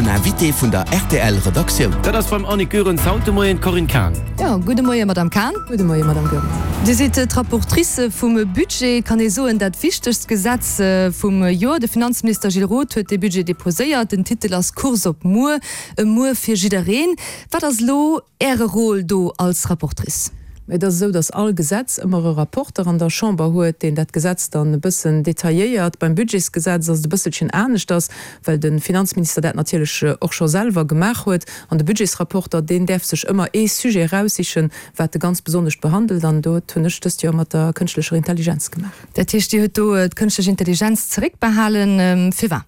Den Invité vun der rtl Redaktioun. Dat ass beim Annick Goerens haut de Moien d'Corinne Cahen. Jo, gudde Moie Madame Cahen. Gudde Moie Madame Goerens. Dir sidd d'Rapportrice vum Budget, et kann ee soen dat wichtegst Gesetz vum Joer. De Finanzminister Gilles Roth huet dee Budget deposéiert. Den Titel ass Kurs op muer, e Muer fir jiddereen. Wat ass elo Äre Rôle do als Rapportrice? Et ass esou, datt all Gesetz ëmmer e Rapporter an der Chamber huet, deen dat Gesetz dann e bëssen detailléiert. Beim Budgetsgesetz ass et e bësselchen aneschters, well de Finanzminister dat natierlech och scho selwer gemaach huet. An de Budgetsrapporter, deen däerf sech ëmmer ee Sujet eraussichen, wat e ganz besonnescht behandelt. An dat hunn ech dëst Joer mat der kënschtlecher Intelligenz gemaach. Dat heescht, Dir hutt do d'kënschtlech Intelligenz zeréckbehalen. Firwat?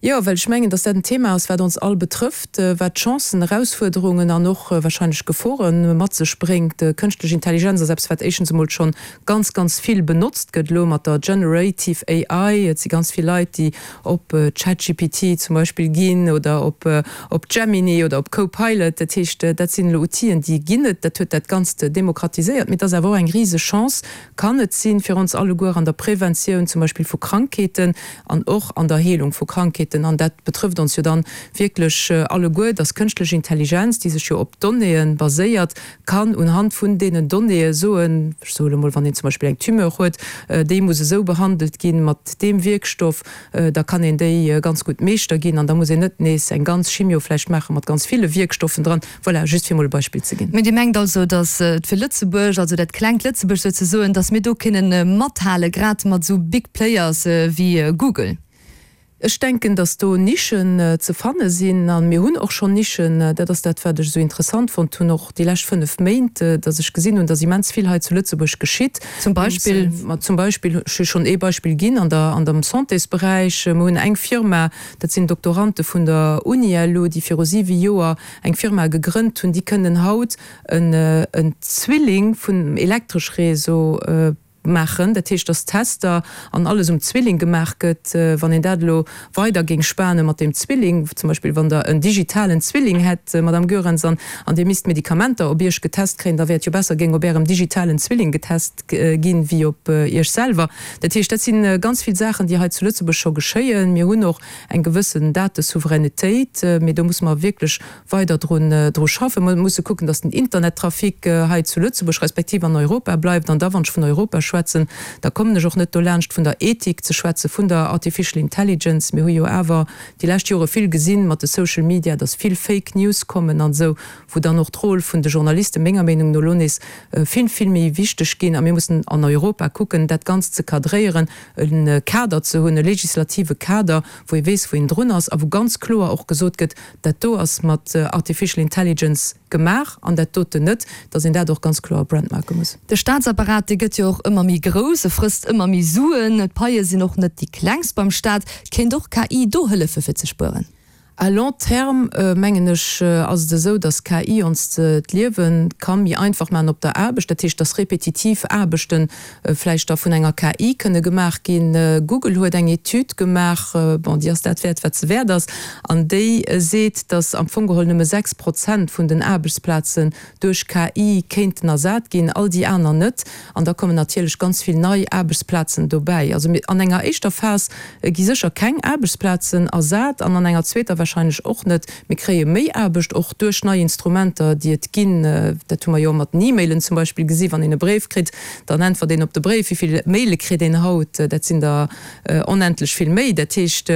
Jo, well ech mengen, dass dat en Thema ass, wat ons all betrëfft, wat Chancen, Erausfuerderungen an och wahrscheinlech Gefore mat sech bréngt. Kënschtlech Intelligenz ass eppes, wat éischtens emol schonn ganz, ganz vill benotzt gëtt elo mat der Generative AI. Et si ganz vill Leit, déi op ChatGPT zum Beispill ginn oder op op Gemini oder op Copilot. Dat heescht, dat sinn elo Outiller, déi ginn et. Dat huet dat Ganzt demokratiséiert. Mee et ass awer och eng riseg Chance, kann et sinn, fir ons alleguer an der Preventioun zum Beispill vu Krankheeten an och an der Heelung vu Krankheeten, an dat betrëfft ons jo dann wierklech alleguer, dass kënschtlech Intelligenz, déi sech jo op Donnéeë baséiert, kann unhand vun deenen Donnéeë soen, ech soe lo mol, wann een zum Beispill eng Tumeur huet, déi muss esou behandelt ginn, mat deem Wierkstoff, da kann een déi ganz gutt Meeschter ginn an da muss een net nees eng ganz Chimio vläicht maache mat ganz ville Wierkstoffen dran. Voilà, just fir emol e Beispill ze ginn. Mee Dir mengt also, datt et fir Lëtzebuerg, also dat klengt Lëtzebuerg souzesoen, datt mir do kënnen mathale grad mat esou Big Players wéi Google? Ech denken, datt do Nischen ze fanne sinn. A mir hunn och schonn Nischen. Dat ass dat, wat ech esou interessant fonnt hunn, och déi lescht 5 Méint, datt ech gesinn hunn, datt immens vill hei zu Lëtzebuerg geschitt. Zum Beispill? Ma zum Beispill, ech hu schonn ee Beispill ginn an der, an dem Santésberäich. Mir hunn eng Firma, dat sinn Doktorante vun der UniLu, déi viru siwe Joer eng Firma gegrënnt hunn, déi kënnen haut en Zwilling vun Elektreschréseau maachen. Dat heescht, dass Tester an alles um Zwilling gemaach gëtt. Wann een dat elo weider géing spane mat deem Zwilling, zum Beispill wann Der en digitalen Zwilling hätt, Madame Goerens, an Dir misst Medikamenter op Iech getest kréien, da wär et jo besser, géing op Ärem digitalen Zwilling getest ginn, wéi op Iech selwer. Dat heescht, dat si ganz vill Saachen, déi hei zu Lëtzebuerg scho geschéien. Mir hunn och eng gewëssen Datesouveränitéit, mee do musse mer wierklech weider drun dru schaffen. Mer musse kucken, datt den Internettrafic hei zu Lëtzebuerg respektiv an Europa bleift. An da, wann ech vun Europa schwätzen, da kommen ech och net dolaanscht vun der Ethik ze schwätzen, vun der Artificial Intelligence. Mir hu jo awer déi lescht Jore vill gesinn mat de Social Media, datt vill Fake News kommen an esou, wou dann och d'Rôle vun de Journaliste menger Meenung no elo nees vill, vill méi wichteg ginn. A mir mussen an Europa kucken, dat Ganzt ze cadréieren, e Kader ze hunn, e legislative Kader, wou ee weess, wou een drun ass a wou ganz kloer och gesot gëtt, dat do ass mat Artificial Intelligence gemaach an dat doten net, datt een dat och ganz kloer brandmarke muss. De Staatsapparat, dee gëtt jo och ëmmer méi grouss, e frësst ëmmer méi Suen, d'Paie sinn och net déi klengst beim Staat. Kéint och KI do hëllefe fir ze spueren? À long terme, mengen ech, ass et esou, dass KI ons d'Liewe ka méi einfach maachen op der Aarbecht. Dat heescht, dass repetitiv Aarbechte vläicht da vun enger KI kënne gemaach ginn. Google huet eng Etüd gemaach, bon, déi ass dat wäert, wat se wäert ass, an déi seet, dass am Fong geholl nëmme 6 Prozent vun den Aarbechtsplazen duerch KI kéinten ersat ginn, all déi aner net. An da kommen natierlech ganz vill nei Aarbechtsplazen dobäi. Also an enger éischter Phas gi sécher keng Aarbechtsplazen ersat an an enger zweeter wahrscheinlech och net. Mir kréie méi Aarbecht och duerch nei Instrumenter, déi et ginn. Dat hu mer jo mat den E-Mailen zum Beispill gesi wann een e Bréif kritt, dann äntwert een op de Bréif. Wéi vill Maile kritt een haut? Dat sinn der onendlech vill méi. Dat heescht,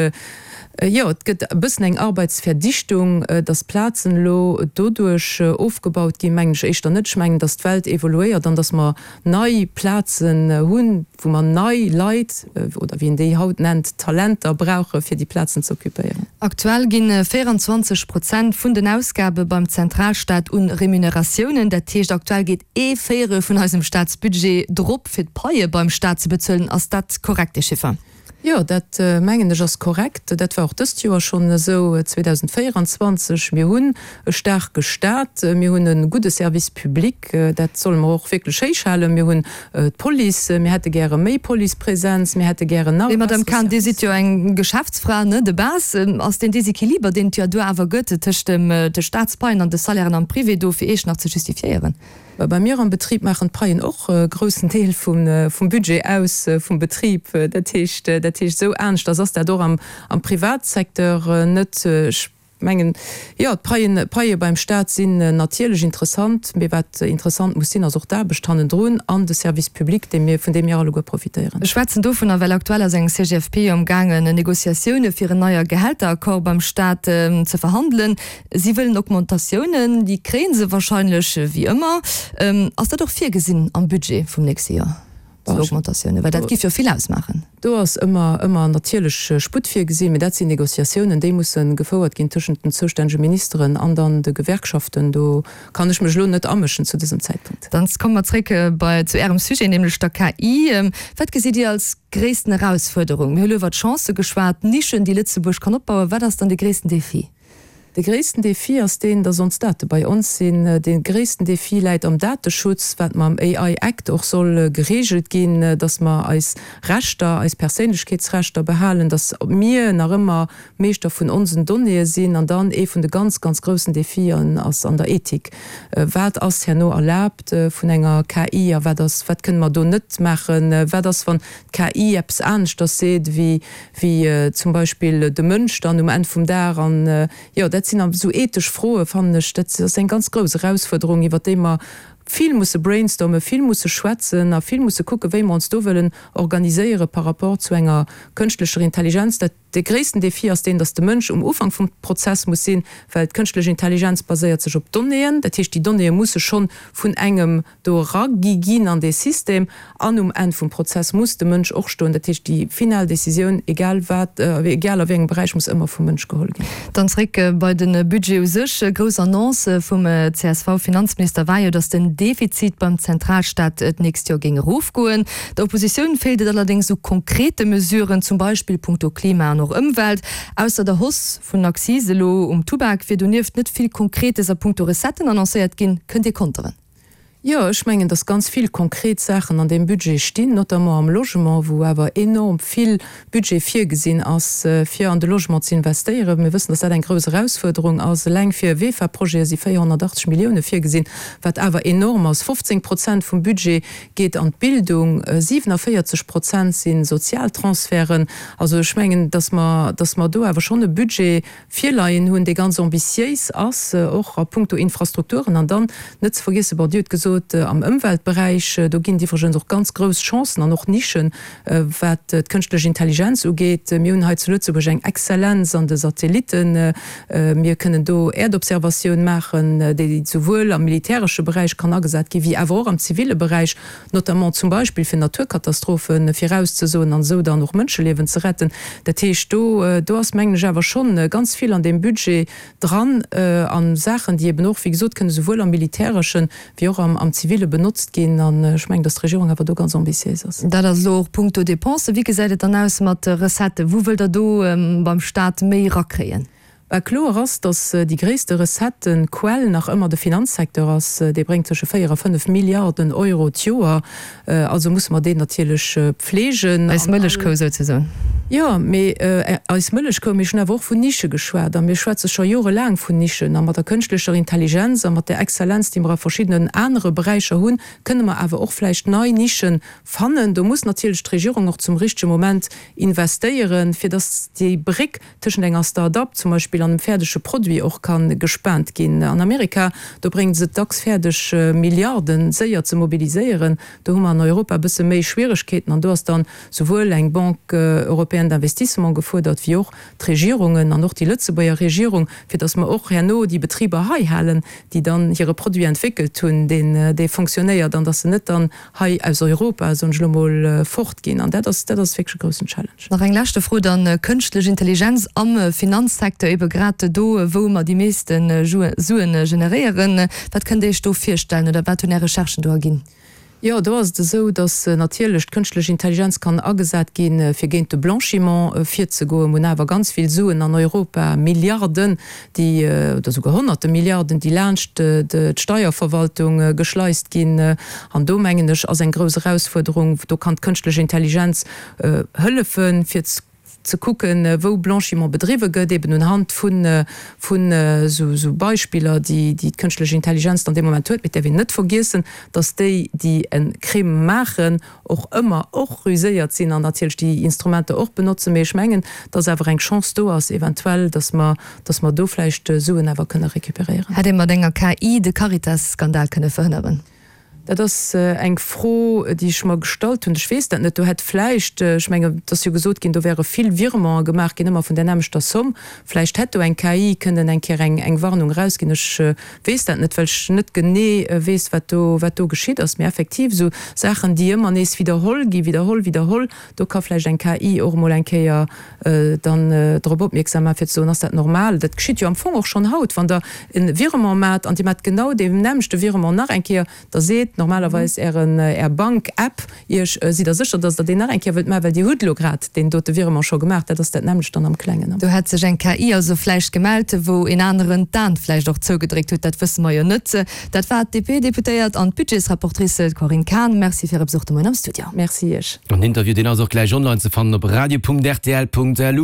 jo, et gëtt e bëssen eng Arbeitsverdichtung. Datt d'Plazen elo doduerch ofgebaut ginn, mengen ech éischter net. Ech mengen, datt d'Welt evoluéiert an datt mer nei Plazen hunn, wou mer nei Leit, oder wéi een déi haut nennt, Talenter brauche fir déi Plazen ze occupéieren. Aktuell gi 24 Prozent vun den Ausgabe beim Zentralstaat un Remuneratiounen, dat heescht aktuell geet ee Véierel vun eisem Staatsbudget drop fir d'Paie beim Staat ze bezuelen. Ass dat korrekt, dee Chiffer? Jo, dat mengen ech ass korrekt. Dat war och dëst Joer schonn esou, 2024. Mir hunn e staarke Stat, mir hunn e gudde Service public, dat solle mer och wierklech héichhalen. Mir hunn d'Police, mir hätte gäre méi Policepresenz, mir hätte gären nach e Mee Madame bessere Cahen, Dir Service. sidd jo eng Geschäftsfra, ne, de base. Ass deen Desequiliber, deen et jo do awer gëtt tëscht dem de Staatspaien an de Salairen am Privé do fir Iech nach ze justifiéieren? Bei mir am Betrib maachen d'Paien och e groussen Deel vum Budget aus vum Betrib. Dat heescht, dat heescht esou aneschters ass dat och am Privatsecteur net. Ech. mengen, jo, d'Paien, d'Paie beim Staat sinn natierlech interessant, mee wat interessant muss sinn, ass och d'Aarbecht hannendrun an de Service public, dee mir, vun deem mir alleguer profitéieren. Ech schwätzen dovunner, well aktuell ass eng CGFP jo amgaangen, Négociatioune fir en neier Gehälteraccord beim Staat ze verhandelen. Si wëllen Augmentatiounen, déi kréie se wahrscheinlech, wéi ëmmer. Ass dat och virgesinn am Budget vum nächste Joer, esou Augmentatiounen? Well dat géif jo vill ausmaachen. Do ass ëmmer, ëmmer natierlech Sputt virgesinn, mee dat sinn Négociatiounen, déi musse gefouert ginn tëschent den zoustännege Ministeren an dann de Gewerkschaften. Do kann ech mech elo net amëschen zu dësem Zäitpunkt. Dann komme mer zréck bei, zu Ärem Sujet, nämlech der KI. Wat gesitt Dir als gréissten Erausfuerderung? Mir hu lo iwwer d'Chancë geschwat, d'Nischen, déi Lëtzebuerg kann opbauen. Wat ass dann de gréissten Defi? De gréissten Defi ass deen, dass ons Date bei ons sinn. De gréissten Defi läit am Dateschutz, wat mam AI Act och soll geregelt ginn, dass mer eis Rechter, eis Perséinlechkeetsrechter behalen, dass mir nach ëmmer Meeschter vun onsen Donnéeë sinn. An dann ee vun de ganz, ganz groussen Defien ass an der Ethik. Wat ass herno erlaabt vun enger KI a wat ass, wat kënne mer do net maachen? Wat ass, wann d'KI eppes aneschters seet wéi wéi zum Beispill de Mënsch dann um Enn vum Dag. An jo, dat sinn esou ethesch Froen, fannen ech, dat ass eng ganz grouss Erausfuerderung, iwwert déi mer vill musse brainstormen, vill musse schwätzen a vill musse kucken, wéi mer ons do wëllen organiséiere par rapport zu enger kënschtlecher Intelligenz. Dat, de gréissten Défi ass deen, dass de Mënsch um Ufank vum Prozess muss sinn, well d'kënschtlech Intelligenz baséiert sech op Donnéeën. Dat heescht, déi Donnéeë musse schonn vun engem do eragi ginn an dee System, an um Enn vum Prozess muss de Mënsch och stoen. Dat heescht, déi final Décisioun, egal wat, egal a wéi engem Beräich, muss ëmmer vum Mënsch geholl ginn. Dann zréck bei de Budget u sech. Grouss Annonce vum CSV-Finanzminister war jo, datt den Defizit beim Zentralstaat d'nächst Joer géing erofgoen. Der Oppositioun feelt et allerdéngs u konkrete Mesuren, zum Beispill punkto Klima an och Ëmwelt. Ausser der Hausse vun Akzise elo um Tubak wier donieft net vill Konkretes a punkto Recetten annoncéiert ginn. Kënnt Dir konteren? Jo, ech mengen, dass ganz vill konkret Saachen an deem Budget stinn, notamment am Logement, wou awer enorm vill Budget virgesinn ass, fir an de Logement ze investéieren. Mir wëssen, dass dat eng grouss Erausfuerderung ass. Eleng fir VEFA-Projete si 480 Millioune virgesinn, wat awer enorm ass. 15 Prozent vum Budget geet an d'Bildung, 47 Prozent si Sozialtransferten. Also ech mengen, dass mer, dass mer do awer schonn e Budget virleien hunn, dee ganz ambitiéis ass, och a puncto Infrastrukturen. An dann net ze vergiessen, bon, Dir hutt gesot, am Ëmweltberäich, do ginn et iwwregens och ganz grouss Chancen an och Nischen, wat d'kënschtlech Intelligenz ugeet. Mir hunn hei zu Lëtzebuerg eng Exzellenz an de Satellitten. Mir kënnen do Äerdobservatioun maachen, déi souwuel am militäresche Beräich kann agesat ginn, wéi awer och am ziville Beräich, notamment zum Beispill fir Naturkatastrophe virauszesoen an esou dann och Mënscheliewen ze retten. Dat heescht, do, do ass, mengen ech, awer schonn ganz vill an deem Budget dran a Saachen, déi eben och, wéi gesot, kënne souwuel am militäreschen wéi och am ziville benotzt ginn. An ech mengen, datt d'Regierung awer do ganz ambitiéis ass. Dat ass elo och punkto Dépensen. Wéi gesäit et dann aus mat Recetten? Wou wëllt Der do beim Stat méi erakréien? Bah, kloer ass, datt déi gréisste Recettenquell nach ëmmer de Finanzsecteur ass. Dee bréngt tësche 4 a 5 Milliarden Euro d'Joer. Also musse mer deen natierlech pflegen. Eis Mëllechkou souzesoen. Jo, mee eis Mëllechkou. Mee ech hunn awer och vun Nische geschwat. A mir schwätze scho jorelaang vun Nischen. A mat der kënschtlecher Intelligenz a mat där Exzellenz, déi mer a verschiddenen anere Beräicher hunn, kënne mer awer och vläicht nei Nischen fannen. Do muss natierlech d'Regierung och zum richtege Moment investéieren, fir datt déi Bréck tëschent enger Start-up zum Beispill an engem fäerdege Produit och ka gespaant ginn. An Amerika, do bréngen se et dacks fäerdeg, Milliarde séier ze mobiliséieren. Do hu mer an Europa e bësse méi Schwieregkeeten. An do ass dann souwuel eng Banque européenne d'investissement gefuerdert, wéi och d'Regierungen an och déi Lëtzebuerger Regierung, fir datt mer och herno déi Betriber hei halen, déi dann hire Produit entwéckelt hunn, deen dee fonctionnéiert, an datt se net dann hei aus Europa, soen ech elo mol, fortginn. An dat ass, dat ass wierklech e groussen Challenge. Nach eng leschte Fro dann, Kënschtlech Intelligenz am Finanzsecteur, ebe grad do, wou mer déi meeschte Suen generéieren. Wat kënnt Dir Iech do virstellen oder wat hunn Är Recherchen do erginn? Jo, do ass et esou, datt natierlech d'kënschtlech Intelligenz kann agesat ginn, fir géint de Blanchiment virzegoen. Mir hunn awer ganz vill Suen an Europa, Milliarden, déi, oder souguer honnerte Milliarden, déi laanscht d'Steierverwaltung geschleist ginn. An do, mengen ech, ass eng grouss Erausfuerderung. Do kann d'kënschtlech Intelligenz hëllefen, fir. ze kucken, wou Blanchiment bedriwwe gëtt, eben unhand vun vun esou Beispiller, déi déi d'kënschtlech Intelligenz dann dee Moment huet. Mee et däerf een net vergiessen, datt déi, déi e Crime maachen, och ëmmer och ruséiert sinn an natierlech déi Instrumenter och benotzen. Mee ech mengen, datt awer eng Chance do ass eventuell, datt mer, datt mer do vläicht Suen awer kënne récupéréieren. Hätt ee mat enger KI de Caritas-Skandal kënne verhënneren? Dat ass eng Fro, déi ech mer gestallt hunn. Ech weess dat net. Do hätt vläicht, ech mengen, et ass jo gesot ginn, do wäre vill Virementen gemaach ginn, ëmmer vun där nämmlechter Somm. Vläicht hätt do eng KI kënnen eng Kéier eng, eng Warnung erausginn. Ech weess dat net, well ech net genee weess, wat do, wat do geschitt ass. Mee effektiv, esou Saachen, déi ëmmer nees widderholl ginn, widderholl, widderholl, do ka vläicht eng KI och emol eng Kéier dann drop opmierksam maachen, fir ze soen, ass dat normal? Dat geschitt jo am Fong och schonn haut, wann Der e Virement maacht an Dir maacht genau dee nämmlechte Virement nach eng Kéier, da seet normalerweis Ären, Är Bank-App Iech, Sidd Der sécher, dass Der deen nach eng Kéier wëllt maachen, well Dir hutt elo grad deen dote Virement scho gemaach. Dat ass dat nämmlecht dann am Klengen. Do hätt sech eng KI also vläicht gemellt, wou een aneren d'An vläicht och zougedréckt huet, dat wësse mer jo net. Dat war d'DP-Deputéiert an d'Budgetsrapportrice Corinne Cahen. Merci fir Är Besuch de Moien am Studio. Merci Iech. An den Interview, deen ass och gläich online ze fannen op radio.rtl.lu.